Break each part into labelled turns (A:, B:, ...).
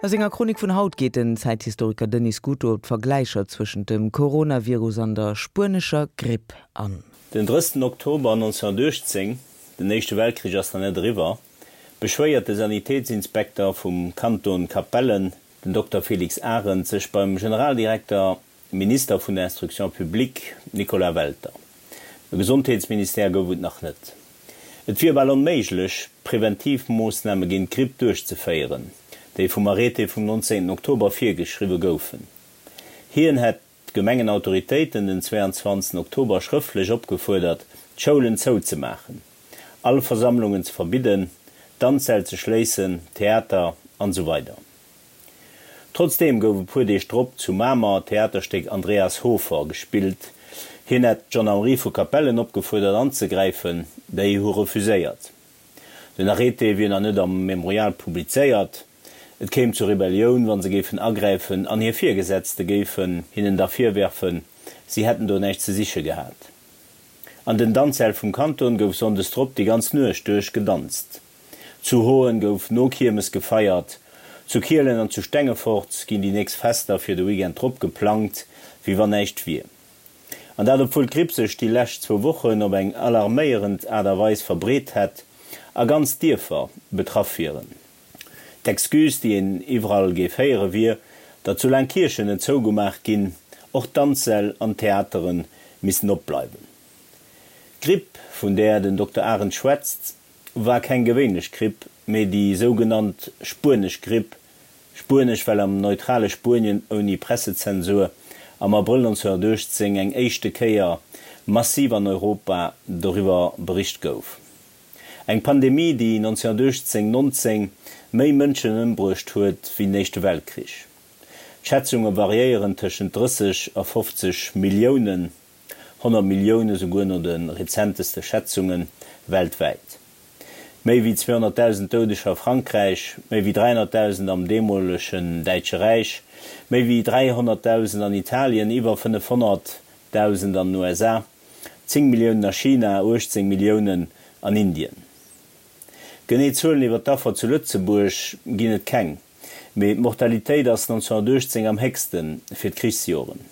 A: A senger Chronik vun haut geet den Zäithistoriker Denis Scuto op d'Vergläicher zwëschent dem Coronavirus an der spuenescher Gripp an.
B: Den 30 Oktober 1918, den Éischte Weltkrich ass nach net eriwwer, beschwéiert de Sanitätsinspekter vum Kanton Capellen, den Dokter Félix Arendt, sech beim Generaldirekter Minister vun der Instruction publique Nicolas Welter. E Gesondheetsministère gouf et nach net. Et wier bal onméiglech, Preventivmoossname géint d'Gripp duerchzeféieren, déi vum Arrêté vum 19 Oktober virgeschriwwe goufen. Hien hätt d'Gemengenautoritéiten den 22 Oktober schrëftlech opgefuerdert, d'Schoulen zouzemaachen, all Versammlungen ze verbidden, d'Danzsäll ze schléissen, Theater an esou weider. Trotzdeem gouf e puer Deeg drop zu Mamer d'Theaterstéck Andreas Hofer gespillt. Hien hätt d'Gendarmerie vu Capellen opgefuerdert anzegräifen, déi hu refuséiert. Den Arrêté wier nach net am Memorial publizéiert. Et kéim zur Rebellioun, wa se géifen agräifen an hir Virgesetzte géifen hinnen da virwerfen, si hätten do näischt ze siche gehat. An den Danzsäll vum Kanton gouf sonndes drop déi ganz Nuecht duerch gedanzt. Zu Hoen gouf no Kiermes gefeiert, zu Kielen an zu Stengefort ginn déi nächst Fester fir de Weekend drop geplangt, wéi wann näischt wier. An dat obwuel d'Gripp sech déi lescht zwou Wochen op eng alarméierend Aart a Weis verbreet hätt a ganz Dierfer betraff wieren. D'Excuse, déi een iwwerall géif héiere wier, datt soulaang Kierchen net zougemaach ginn, och d'Danzsäll an d'Theatere missten opbleiwen. D'Gripp, vun där den Dokter Arendt schwätzt, war keng gewéinlech Gripp, mee déi sougenannt Spuenesch Gripp, spuenesch, well am neutrale Spuenien ouni Pressezensur am Abrëll 1918 eng éischte Kéier massiv an Europa doriwwer bericht gouf. Eng Pandemie, déi 1918, 19 méi Mënschen ëmbruecht huet wéi den Éischte Weltkrich. D'Schätzunge variéieren tëschent 30 a 50 Milliounen. 100 Millioune souguer no de rezenteste Schätzunge weltwäit. Méi wéi 200.000 Doudeger a Frankräich, méi wéi 300.000 am deemolegen Däitsche Räich, méi wéi 300.000 an Italien, iwwer 500.000 an den USA, 10 Milliounen a China, 18 Milliounen an Indien. Genee Zuelen iwwer d'Affer zu Lëtzebuerg ginn et keng, mee d'Mortalitéit ass 1918 am héchste fir d'Krichsjoren.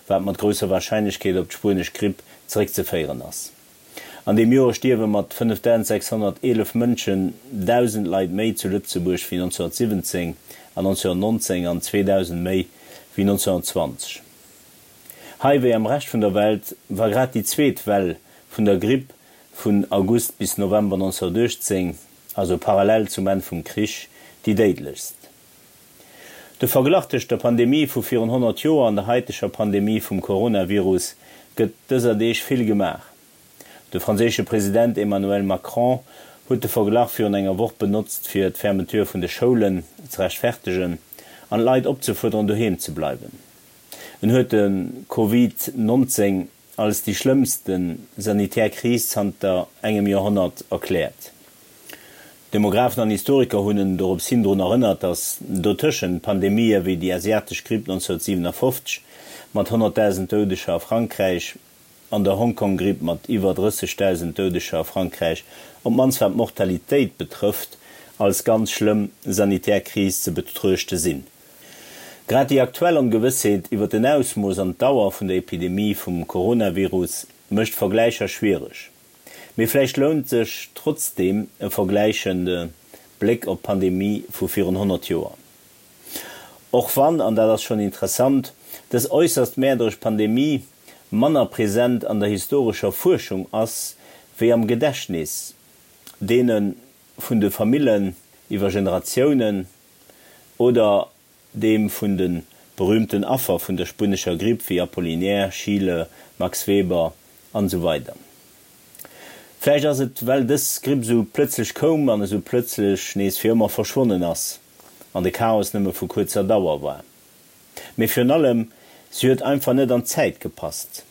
B: wat mat grousser Warscheinlechkeet op d'spuenesch Gripp zeréckzeféieren ass. An deem Joer stierwe mat 5.611 Mënschen 1.000 Leit méi zu Lëtzebuerg wéi 1917 an 1919 an 2.000 méi wéi 1920. Hei wéi am Rescht vun der Welt war grad déi zweet Well vun der Gripp vun August bis November 1918, also parallel zum Enn vum Krich, déi déidlechst. De Verglach tëscht der Pandemie vu virun 100 Joer an der haiteger Pandemie vum Coronavirus gëtt dëser Deeg vill gemaach. De franséische President Emmanuel Macron huet de Verglach virun enger Woch benotzt, fir d'Fermeture vun de Schoulen ze rechtfertegen an d'Leit opzefuerderen, doheem ze bleiwen. En huet de Covid 19 als déi schlëmmste sanitär Kris zanter engem Joerhonnert erkläert. Demografen an Historiker hunn en dorops hin drun erënnert, datt dotëschent Pandemië wéi déi asiatesch Gripp 1957 mat 100.000 Doudeger a Frankräich an der Hongkong-Gripp mat iwwer 30.000 Doudeger a Frankräich, op d'mannst wat d'Mortalitéit betrëfft, als ganz schlëmm sanitär Kris ze betruechte sinn. Grad déi aktuell Ongewëssheet iwwer den Ausmooss an d'Dauer vun der Epidemie vum Coronavirus mécht Vergläicher schwiereg. Mee vläicht lount sech trotzdeem e vergläichende Bléck op d'Pandemie vu virun 100 Joer. Och wann, an dat ass schonn interessant, dës äusserst mäerderesch Pandemie manner present an der historescher Fuerschung ass wéi am Gedächtnis deene vun de Famillen iwwer Generatiounen, Oder deem vun de berühmten Affer vun der spuenescher Gripp wéi Apollinaire, Schiele, Max Weber an esou weider. Vläicht ass et well dës Gripp esou plëtzlech koum an esou plëtzlech nees fir ëmmer verschwonnen ass an de Chaos nëmme vu kuerzer Dauer war. Mee virun allem, si huet einfach net an d'Zäit gepasst.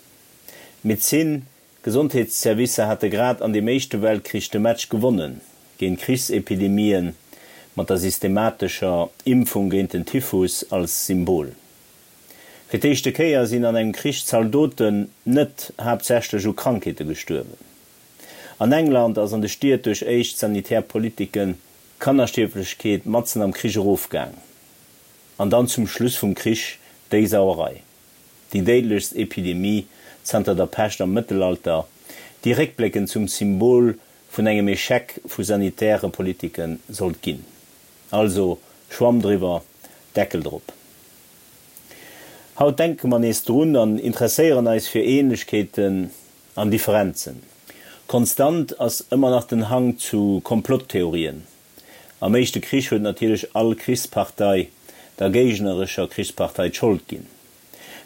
B: D'Medezin D'Gesondheetsservicer hate grad an deem Éischte Weltkrich de Match gewonnen géint Krichsepidemien, mat der systematescher Impfung géint den Typhus als Symbol. Fir d'éischte Kéier sinn an engem Krich Zaldoten net haaptsächlech u Krankheete gestuerwen. An England ass an de Stied duerch éischt sanitär Politiken d'Kannerstierflechkeet matzen am Krich erofgaang. An dann zum Schluss vum Krich déi Sauerei, déi déidlechst Epidemie zanter der Pescht am Mëttelalter, déi réckbléckend zum Symbol vun engem Echec vu sanitäre Politike sollt ginn. Also Schwamm driwwer, Deckel drop. Haut denke mer nees drun an interesséieren eis fir Ähnlechkeeten an Differenzen. Konstant ass ëmmer nach den Hang zu Komplotttheorien. Am éischte Krich huet natierlech all Krichspartei der géignerescher Krichspartei d'Schold ginn.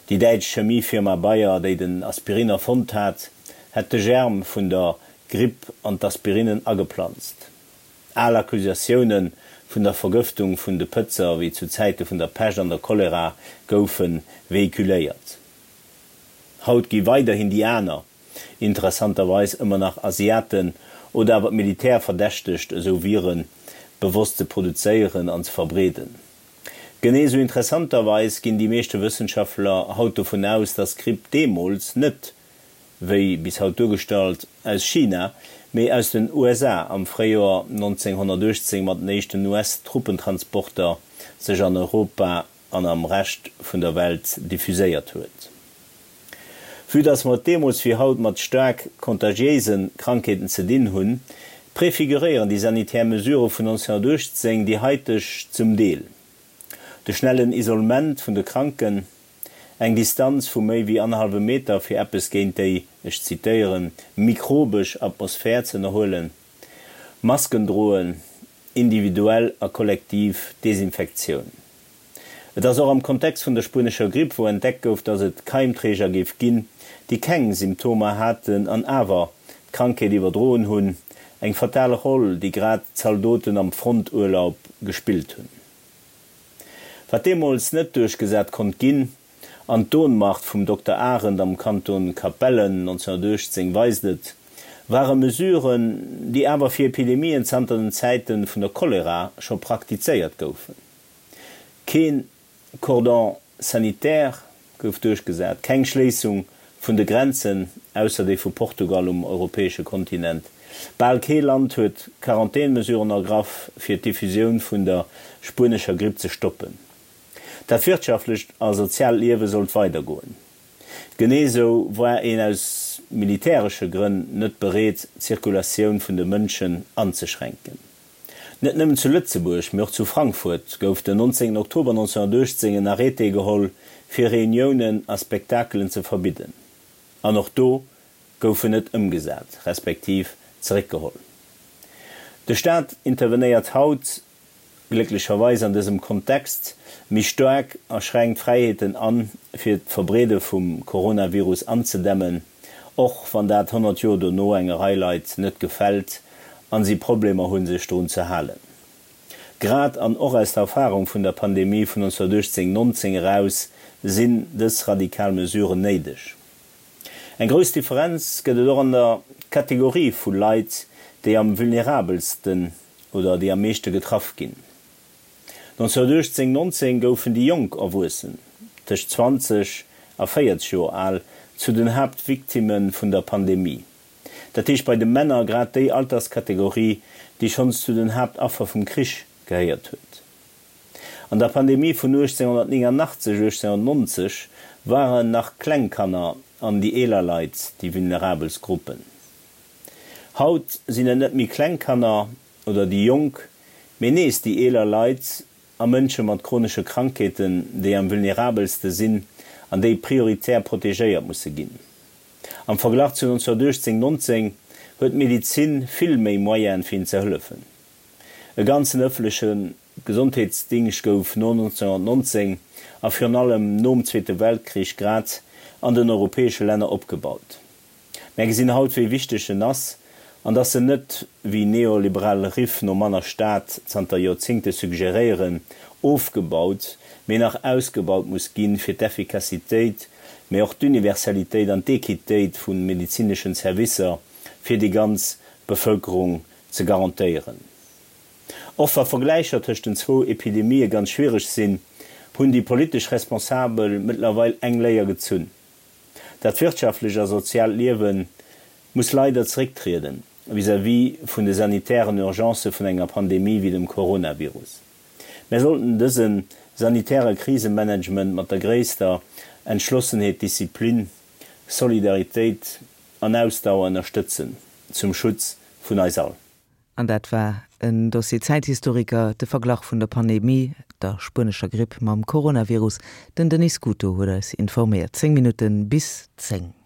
B: Déi däitsch Chemiefirma Bayer, déi den Aspirin erfonnt hat, hätt de Germ vun der Gripp an d'Aspirinnen ageplanzt. Al Accusatioune vun der Vergëftung vun de Pëtzer, wéi zu Zäite vun der Pescht an der Cholera, goufe vehiculéiert. Haut gi weiderhin déi aner, interessanterweis ëmmer nach Asiaten oder awer d'Militär verdächtegt, esou Vire bewosst ze produzéieren an ze verbreeden. Genee esou interessanterweis ginn déi meeschte Wëssenschaftler haut dovun aus, dass d'Gripp deemools net, wéi bis haut duergestallt, aus China, mee aus den USA am Fréijoer 1918 mat den éischten US-Truppentransporter sech an Europa an am Rescht vun der Welt diffuséiert huet. Vue dass mer et deemools wéi haut mat staark kontagiéise Krankheeten ze dinn hunn, prefiguréieren déi sanitär Mesurë vun 1918 déi haiteg zum Deel. De schnellen Isolement vun de Kranken, eng Distanz vu méi wéi annerhallwem Meter fir eppes géint déi, ech zitéieren, mikrobesch Atmosphär ze ënnerhuelen, Masken droen, individuell a kollektiv Desinfektioun. Et ass och am Kontext vun der spuenescher Gripp, wou entdeckt gouf, datt et Keimträger géif ginn, déi keng Symptomer haten an awer d'Krankheet iwwerdroen hunn, eng fatal Roll, déi grad d'Zaldoten am Fronturlaub gespillt hunn. Wat deemools net duerchgesat konnt ginn, an d'Ohnmacht vum Dokter Arendt am Kanton Capellen 1918 weist et, ware Mesuren, déi awer fir Epidemien zanter den Zäite vun der Cholera scho praktizéiert goufen. Keen Cordon sanitaire gouf duerchgesat, keng Schléissung vun de Grenzen, ausser déi vu Portugal um europäesche Kontinent. Bal kee Land huet Quarantänmesuren ergraff, fir d'Diffusioun vun der spuenescher Gripp ze stoppen. Dat wirtschaftlecht a soziaalt Liewe sollt weidergoen. Genee sou war een aus militäresche Grënn net bereet, d'Zirkulatioun vun de Mënschen anzeschränken. Net nëmmen zu Lëtzebuerg, mee och zu Frankfurt gouf den 19 Oktober 1918 en Arrêté geholl, fir Reuniounen a Spektakelen ze verbidden. An och do gouf en net ëmgesat, respektiv zeréckgeholl. De Staat intervenéiert haut glécklecherweis an dësem Kontext méi staark a schränkt Fräiheeten an, fir d'Verbreede vum Coronavirus anzedämmen, och wann dat 100 Joer dono enger Rei Leit net gefält an si Problemer hunn, sech drun ze halen. Grad an och aus der Erfarung vun der Pandemie vun 1918, 19 eraus sinn dës radikal Mesuren néideg. Eng grouss Differenz gëtt et och an der Kategorie vu Leit, déi am vulnerabelsten oder déi am meeschte getraff ginn. 1918, 19 goufen déi jonk Erwuessen, tëscht 20 a 40 Joer al, zu den Haaptvictimme vun der Pandemie. Dat heescht bei de Männer grad déi Alterskategorie, déi schonns zu den Haaptaffer vum Krich gehéiert huet. An der Pandemie vun 1889, 1890 waren nach kleng Kanner an déi eeler Leit déi vulnerabelst Gruppen. Haut sinn et net méi kleng Kanner oder déi Jonk, mee nees déi eeler Leit a Mënsche mat chronesche Krankheeten, déi am vulnerabelste sinn an déi prioritär protegéiert musse ginn. Am Verglach zu 1918, 19 huet d'Medizin vill méi Moyene fir hinnen ze hëllefen. E ganzen ëffentleche Gesondheetsdingscht gouf no 1919 a virun allem nom Zweete Weltkrich grad an den europäesche Länner opgebaut. Mär gesinn haut, wéi wichteg en ass an dass en net, wéi neoliberal Riff no manner Staat zanter Joerzingte suggeréieren, ofgebaut, mee nach ausgebaut muss ginn, fir d'Effikassitéit, mee och d'Universalitéit an d'Equitéit vu medezineschen Servicer fir déi ganz Bevëlkerung ze garantéieren. Och wa Vergläicher tëscht den zwou Epidemië ganz schwiereg sinn, hunn déi politesch Responsabel mëttlerweil eng Léier gezunn. Dat wirtschaftlecht a soziaalt Liewe muss leider zerécktrieden vis-à-vis vun de sanitären Urgencë vun enger Pandemie wéi dem Coronavirus. Mär sollten dëse sanitäre Krisemanagement mat der gréisster Entschlossenheet, Disziplin, Solidaritéit an Ausdauer ënnerstëtzen, zum Schutz vun eis all.
A: An dat war en Dossier Zäithistoriker, de Verglach vun der Pandemie, der spuenescher Gripp mam Coronavirus. Den Denis Scuto huet eis informéiert. 10 Minutte bis 10.